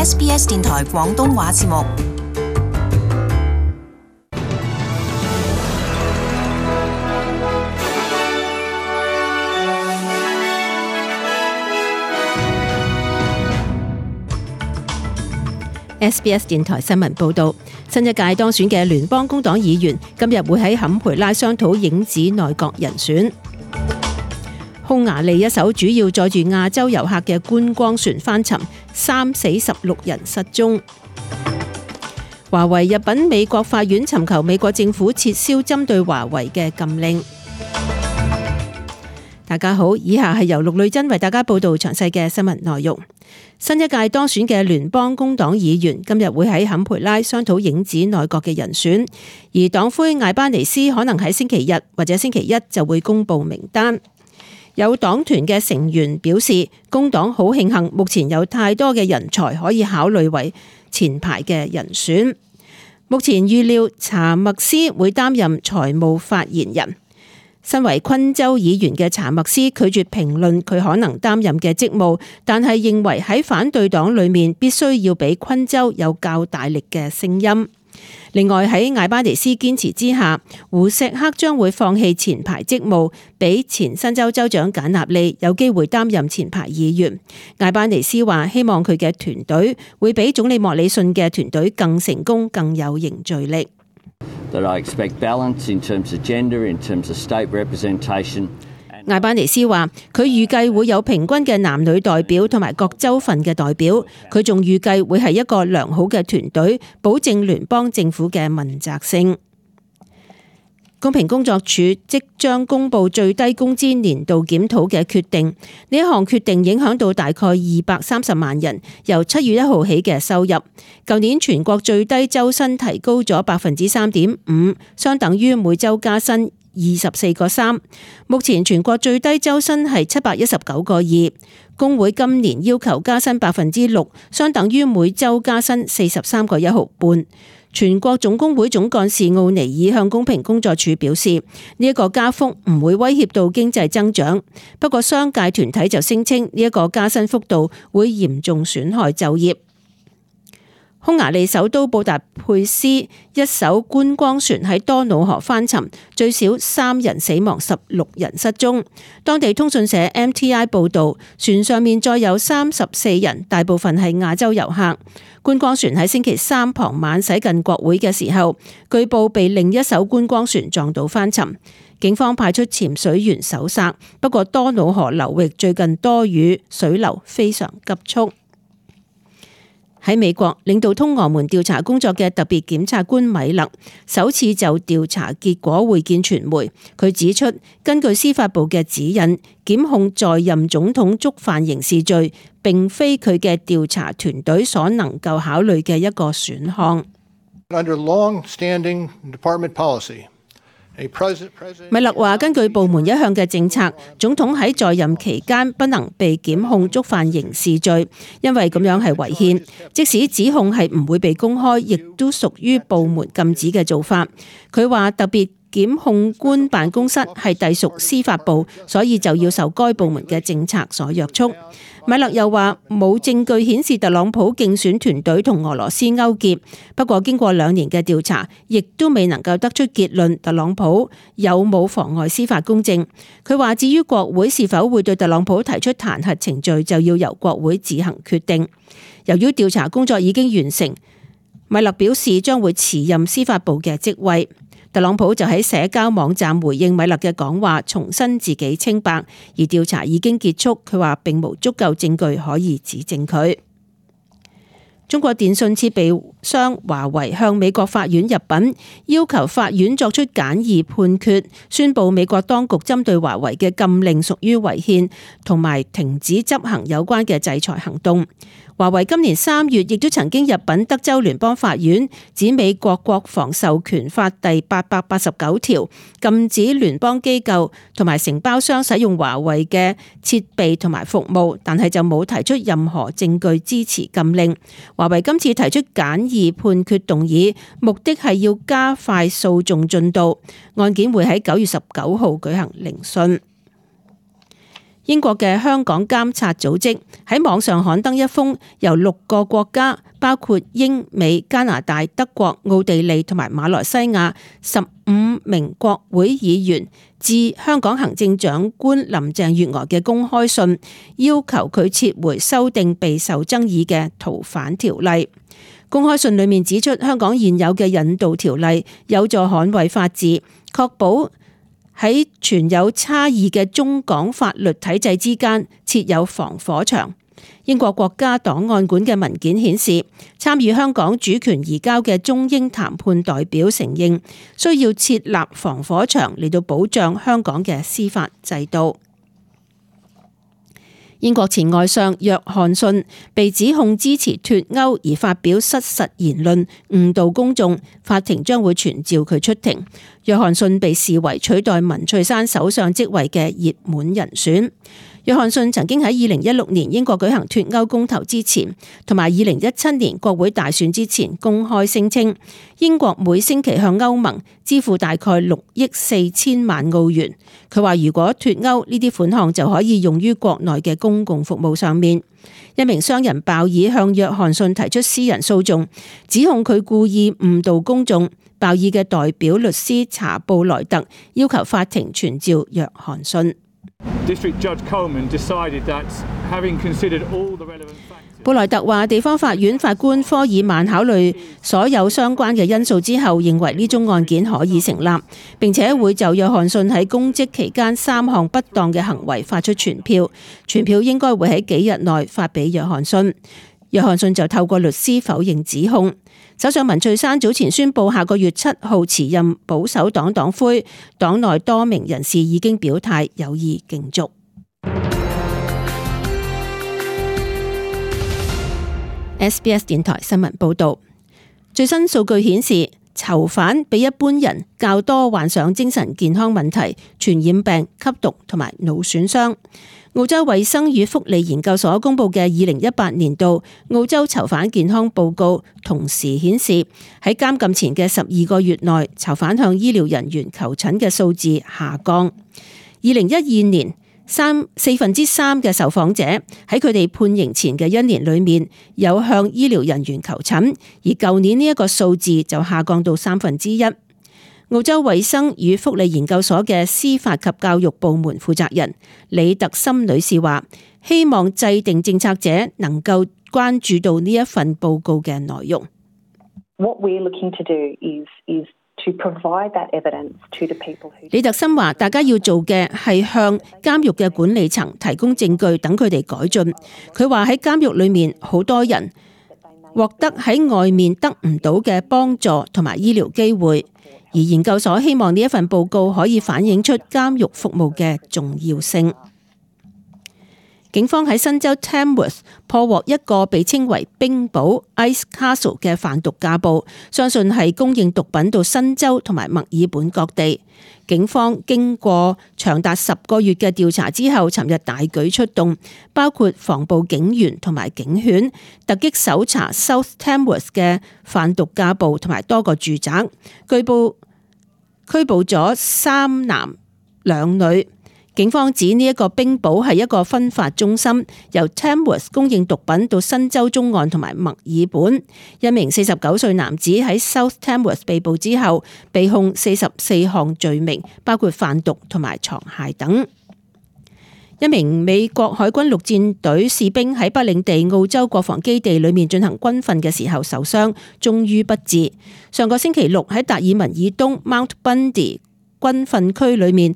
SBS 電台廣東話節目。SBS 電台新聞報導，新一屆當選嘅聯邦工黨議員今日會喺坎培拉商討影子內閣人選。匈牙利一艘主要載住亞洲遊客嘅觀光船翻沉，3死16人失蹤。華為入稟美國法院尋求美國政府撤銷針對華為嘅禁令。大家好，以下係由陸女珍為大家報道詳細嘅新聞內容。新一屆當選嘅聯邦工黨議員今日會喺坎培拉商討影子內閣嘅人選，而黨魁艾巴尼斯可能喺星期日或者星期一就會公布名單。有黨團嘅成員表示，工黨好慶幸目前有太多嘅人才可以考慮為前排嘅人選。目前預料查默斯會擔任財務發言人。身為昆州議員嘅查默斯拒絕評論佢可能擔任嘅職務，但係認為喺反對黨裏面必須要俾昆州有較大力嘅聲音。另外喺艾巴尼斯堅持之下，胡錫克將會放棄前排職務，俾前新州州長簡納利有機會擔任前排議員。艾巴尼斯話希望佢嘅團隊會比總理莫里遜嘅團隊更成功，更有凝聚力。That I expect balance in terms of gender, in terms of state representation. 艾巴尼斯話佢預計會有平均嘅男女代表同埋各州份嘅代表，佢仲預計會係一個良好嘅團隊，保證聯邦政府嘅問責性。公平工作處即將公布最低工資年度檢討嘅決定，呢一項決定影響到大概230萬人由7月1號起嘅收入。舊年全國最低周薪提高咗 3.5%， 相等於每周加薪24個3。目前全國最低周薪係719個2，工會今年要求加薪 6%， 相等於每周加薪43個1毫半。全國總工會總幹事奧尼爾向公平工作處表示，呢一個加幅唔會威脅到經濟增長，不過商界團體就聲稱呢一個加薪幅度會嚴重損害就業。匈牙利首都布達佩斯一艘觀光船喺多瑙河翻沉，最少3人死亡，16人失蹤。當地通訊社 MTI 報道，船上面載有34人，大部分係亞洲遊客。觀光船喺星期三傍晚駛近國會嘅時候，據報被另一艘觀光船撞到翻沉。警方派出潛水員搜索，不過多瑙河流域最近多雨，水流非常急速。喺美國，領導通俄門調查工作嘅特別檢察官米勒首次就調查結果會見傳媒。佢指出，根據司法部嘅指引，檢控在任總統觸犯刑事罪，並非佢嘅調查團隊所能夠考慮嘅一個選項。Under long-standing department policy,米勒話：根據部門一向嘅政策，總統喺在任期間不能被檢控觸犯刑事罪，因為咁樣係違憲。即使指控係唔會被公開，亦都屬於部門禁止嘅做法。佢話特別檢控官辦公室係隸屬司法部，所以就要受該部門嘅政策所約束。米勒又話冇證據顯示特朗普競選團隊同俄羅斯勾結，不過經過2年嘅調查，亦都未能夠得出結論特朗普有冇妨礙司法公正。佢話至於國會是否會對特朗普提出彈劾程序，就要由國會自行決定。由於調查工作已經完成，米勒表示將會辭任司法部嘅職位。特朗普就喺社交網站回應米勒嘅講話，重申自己清白，而調查已經結束。佢話並無足夠證據可以指證佢。中國電信設備商華為向美國法院入稟，要求法院作出簡易判決，宣布美國當局針對華為嘅禁令屬於違憲，同埋停止執行有關嘅制裁行動。華為今年3月亦都曾經入稟德州聯邦法院，指美國國防授權法第889條禁止聯邦機構同埋承包商使用華為嘅設備同埋服務，但係就冇提出任何證據支持禁令。華為今次提出簡易判決動議，目的係要加快訴訟進度，案件會喺9月19號舉行聆訊。英國嘅香港監察組織喺網上刊登一封由6個國家，包括英美、加拿大、德國、奧地利同埋馬來西亞15名國會議員致香港行政長官林鄭月娥嘅公開信，要求佢撤回修訂備受爭議嘅逃犯條例。公開信裏面指出，香港現有嘅引渡條例有助捍衛法治，確保喺存有差異嘅中港法律體制之間設有防火牆。英國國家檔案館嘅文件顯示，參與香港主權移交嘅中英談判代表承認需要設立防火牆嚟到保障香港嘅司法制度。英國前外相約翰遜被指控支持脫歐而發表失實言論，誤導公眾，法庭將會傳召佢出庭。約翰遜被視為取代文翠珊首相職位嘅熱門人選。約翰遜曾經喺2016年英國舉行脫歐公投之前，同埋2017年國會大選之前公開聲稱，英國每星期向歐盟支付大概6億4千萬澳元。佢話如果脫歐，呢啲款項就可以用於國內嘅公共服務上面。一名商人鮑爾向約翰遜提出私人訴訟，指控佢故意誤導公眾。鮑爾嘅代表律師查布萊特要求法庭傳召約翰遜。布萊特話，地方法院法官科爾曼考慮所有相關嘅因素之後，認為呢宗案件可以成立，並且會就約翰遜喺公職期間3項不當嘅行為發出傳票，傳票應該會喺幾日內發俾約翰遜。約翰遜就透過律師否認指控。首相文翠珊早前宣布下個月7號辭任保守黨黨魁，黨內多名人士已經表態有意競逐。SBS 電台新聞報道，最新數據顯示，囚犯比一般人較多患上精神健康問題、傳染病、吸毒同埋腦損傷。澳洲衛生與福利研究所公布嘅2018年度澳洲囚犯健康報告，同時顯示喺監禁前嘅12個月內，囚犯向醫療人員求診嘅數字下降。2012年4分之3嘅受訪者喺佢哋判刑前嘅1年裏面有向醫療人員求診，而舊年呢一個數字就下降到1/3。澳洲衛生與福利研究所嘅司法及教育部門負責人李特森女士話，希望制定政策者能夠關注到呢一份報告嘅內容。李特森話，大家要做嘅係向監獄嘅管理層提供證據，等佢哋改進。佢話喺監獄裏面好多人獲得喺外面得唔到嘅幫助同埋醫療機會。而研究所希望呢一份報告可以反映出監獄服務嘅重要性。警方喺新州 Tamworth 破獲一個被稱為冰堡 Ice Castle 嘅販毒架步，相信係供應毒品到新州同埋墨爾本各地。警方經過長達10個月嘅調查之後，尋日大舉出動，包括防暴警員同埋警犬，突擊搜查 South Tamworth 嘅販毒架步同埋多個住宅，據報拘捕咗3男2女。警方指呢一個冰堡係一個分發中心，由 Tamworth 供應毒品到新州中岸同埋墨爾本。一名49歲男子喺 South Tamworth 被捕之後，被控44項罪名，包括販毒同埋藏械等。一名美國海軍陸戰隊士兵喺北領地澳洲國防基地裏面進行軍訓嘅時候受傷，終於不治。上個星期六喺達爾文以東 Mount Bundy 軍訓區裏面，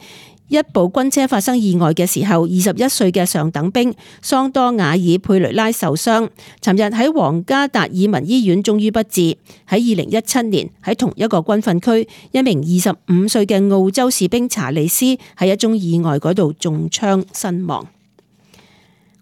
一部軍車發生意外嘅時候，21歲嘅上等兵桑多瓦爾佩雷拉受傷，尋日喺皇家達爾文醫院終於不治。喺2017年喺同一個軍訓區，一名25歲嘅澳洲士兵查理斯喺一宗意外嗰度中槍身亡。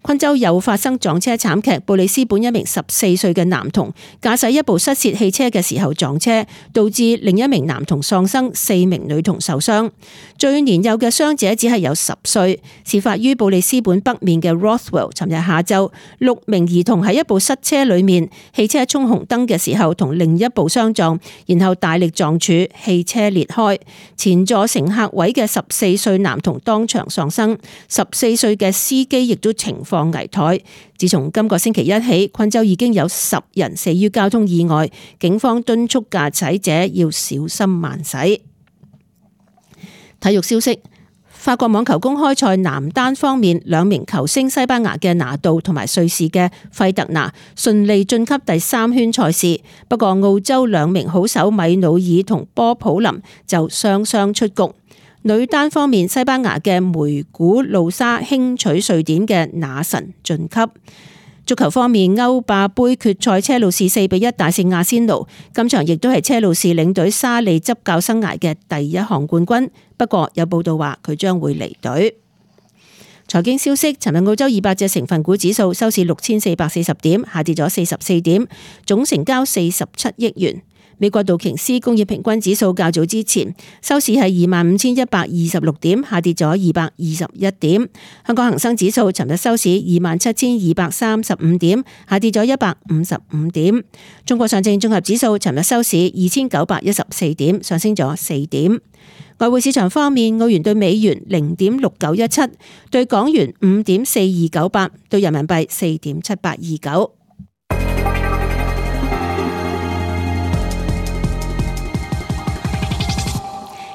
昆州又發生撞車慘劇，布里斯本一名14歲嘅男童駕駛一部失竊汽車嘅時候撞車，導致另一名男童喪生，4名女童受傷。最年幼嘅傷者只係有10歲。事發於布里斯本北面嘅 Rothwell。尋日下晝，6名兒童喺一部塞車裏面，汽車衝紅燈嘅時候同另一部相撞，然後大力撞柱，汽車裂開。前座乘客位嘅14歲男童當場喪生，14歲嘅司機亦都情況危殆。自從今個星期一起，昆州已經有10人死於交通意外，警方敦促駕駛者要小心慢駛。體育消息。法國網球公開賽男單方面，2名球星西班牙嘅拿度同埋瑞士嘅費特拿順利晉級第3圈賽事，不過澳洲2名好手米努爾同波普林就雙雙出局。女單方面，西班牙嘅梅古路莎輕取瑞典嘅那神晉級。足球方面，歐霸盃決賽車路士4-1大勝阿仙奴，今場亦都係車路士領隊沙利執教生涯嘅第1項冠軍。不過有報道話佢將會離隊。財經消息，尋日澳洲200隻成分股指數收市6440點，下跌咗44點，總成交47億元。美國道瓊斯工業平均指數較早之前收市係25,126點，下跌咗221點。香港恒生指數尋日收市27,235點，下跌咗155點。中國上證綜合指數尋日收市2,914點，上升咗4點。外匯市場方面，澳元對美元0.6917，對港元5.4298，對人民幣4.7829。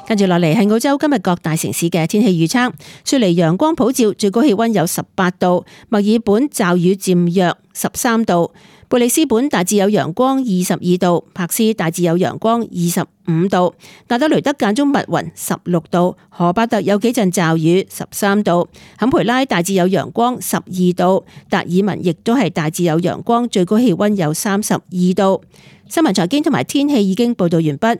跟住落嚟係澳洲今日各大城市嘅天氣預測。雪梨陽光普照，最高氣溫有18度；墨爾本驟雨漸弱，13度；貝里斯本大致有陽光，22度；柏斯大致有陽光，25度；亞德雷德間中密雲，16度；荷巴特有幾陣驟雨，13度；坎培拉大致有陽光，12度；達爾文亦都係大致有陽光，最高氣溫有32度。新聞財經同埋天氣已經報道完畢。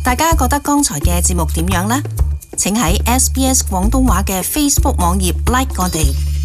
大家覺得剛才嘅節目點樣呢？請喺SBS 廣東話嘅 Facebook 網頁 like 我哋。